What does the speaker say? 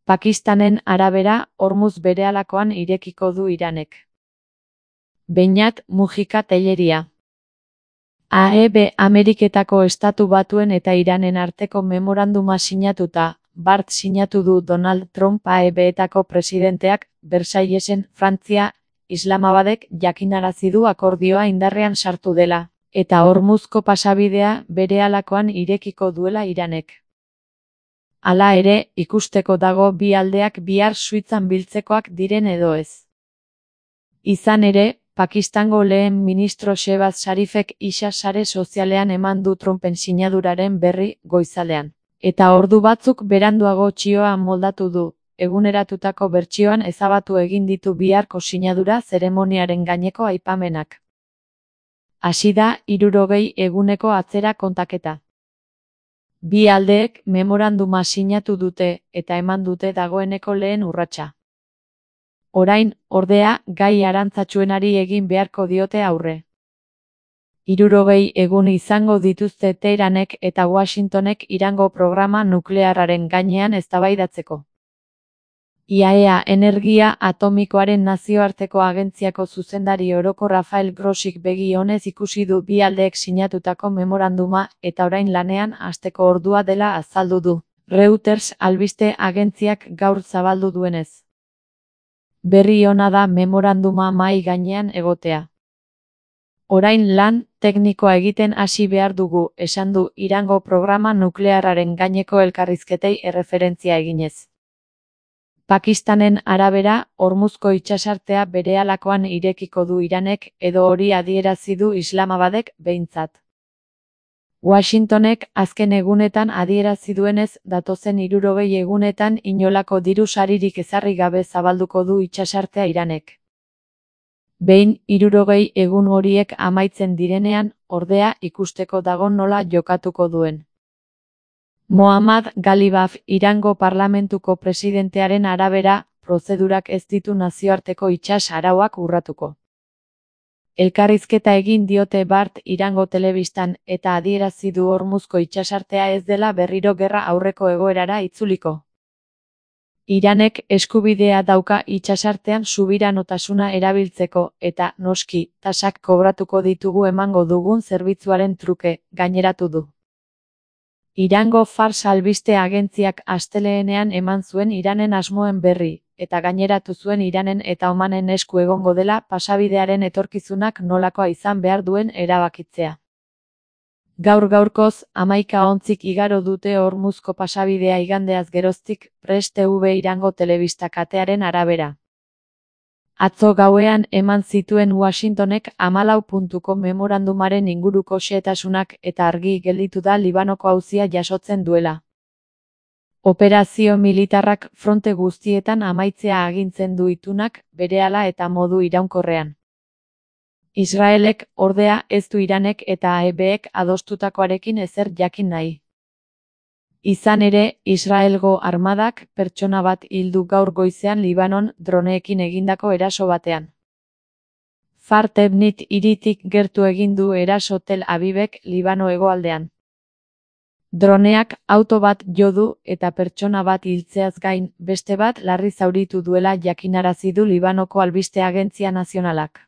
Pakistanen arabera, Hormuz berehalakoan irekiko du Iranek. Beñat Mujika Telleria. AEB Ameriketako Estatu Batuen eta Iranen arteko memoranduma sinatuta, bart sinatu du Donald Trump AEB-etako presidenteak, Versaillesen, Frantzia, Islamabadek jakinarazi du akordioa indarrean sartu dela, eta Hormuzko pasabidea berehalakoan irekiko duela Iranek. Hala ere, ikusteko dago bi aldeak bihar Suitzan biltzekoak diren edo ez. Izan ere, Pakistango lehen ministro Shehbaz Sharifek isa sare sozialean eman du Trumpen sinaduraren berri goizaldean. Eta ordu batzuk beranduago txioa moldatu du, eguneratutako bertsioan ezabatu egin ditu biharko sinadura zeremoniaren gaineko aipamenak. Hasi da 60 eguneko atzera kontaketa. Bi aldeek memoranduma sinatu dute eta eman dute dagoeneko lehen urratsa. Orain, ordea, gai arantzatsuenari egin beharko diote aurre. 60 egun izango dituzte Teheranek eta Washingtonek Irango programa nuklearraren gainean eztabaidatzeko. IAEA energia atomikoaren nazioarteko agentziako zuzendari oroko Rafael Grossik begi onez ikusi du bi aldeek sinatutako memoranduma eta orain lanean hasteko ordua dela azaldu du, Reuters albiste agentziak gaur zabaldu duenez. Berri ona da memoranduma mahai gainean egotea. Orain lan teknikoa egiten hasi behar dugu, esan du Irango programa nuklearraren gaineko elkarrizketei erreferentzia eginez. Pakistanen arabera, Hormuzko itsasartea berehalakoan irekiko du Iranek edo hori adierazi du Islamabadek behintzat. Washingtonek azken egunetan adierazi duenez datozen 60 egunetan inolako diru saririk ezarri gabe zabalduko du itsasartea Iranek. Behin 60 egun horiek amaitzen direnean, ordea ikusteko dago nola jokatuko duen. Mohammad Ghalibaf Irango parlamentuko presidentearen arabera, prozedurak ez ditu nazioarteko itsas arauak urratuko. Elkarrizketa egin diote bart Irango telebistan eta adierazi du Hormuzko itsasartea ez dela berriro gerra aurreko egoerara itzuliko. Iranek eskubidea dauka itsasartean subiranotasuna erabiltzeko eta, noski, tasak kobratuko ditugu emango dugun zerbitzuaren truke, gaineratu du. Irango Fars albiste agentziak asteleenean eman zuen Iranen asmoen berri, eta gaineratu zuen Iranen eta Omanen esku egongo dela pasabidearen etorkizunak nolakoa izan behar duen erabakitzea. Gaur-gaurkoz, 11 ontzik igaro dute Hormuzko pasabidea igandeaz geroztik, Press TV Irango telebista katearen arabera. Atzo gauean eman zituen Washingtonek 14 memorandumaren inguruko xehetasunak eta argi gelditu da Libanoko auzia jasotzen duela. Operazio militarrak fronte guztietan amaitzea agintzen du itunak, berehala eta modu iraunkorrean. Israelek, ordea, ez du Iranek eta AEBek adostutakoarekin ezer jakin nahi. Izan ere, Israelgo armadak pertsona bat hildu gaur goizean Libanon droneekin egindako eraso batean. Far Tebnit hiritik gertu egin du eraso Tel Avivek Libano hegoaldean. Droneak auto bat jo du eta pertsona bat hiltzeaz gain, beste bat larri zauritu duela jakinarazi du Libanoko albiste agentzia nazionalak.